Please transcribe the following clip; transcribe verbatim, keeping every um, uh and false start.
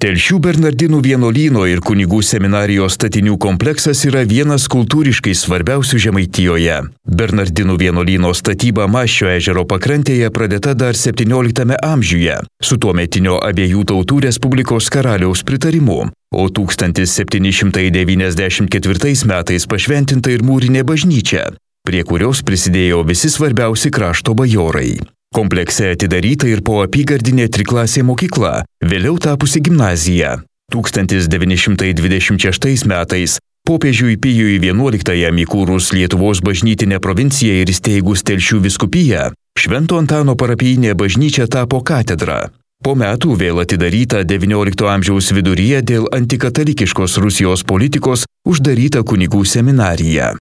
Telšių Bernardinų vienuolyno ir kunigų seminarijos statinių kompleksas yra vienas kultūriškai svarbiausių Žemaitijoje. Bernardinų vienuolyno statyba Maščio ežero pakrantėje pradėta dar septynioliktame amžiuje, su tuometinio abiejų tautų Respublikos karaliaus pritarimu, o tūkstantis septyni šimtai devyniasdešimt ketvirtais metais pašventinta ir mūrinė bažnyčia, prie kurios prisidėjo visi svarbiausi krašto bajorai. Komplekse atidaryta ir po apygardinė triklasė mokykla, vėliau tapusi gimnazija. tūkstantis devyni šimtai dvidešimt šeštais metais popiežiui Pijui vienuoliktajam įkūrus Lietuvos bažnytinę provinciją ir įsteigus Telšių vyskupiją, Švento Antano parapijinė bažnyčia tapo katedra. Po metų vėl atidaryta devyniolikto amžiaus viduryje dėl antikatalikiškos Rusijos politikos uždaryta kunigų seminarija.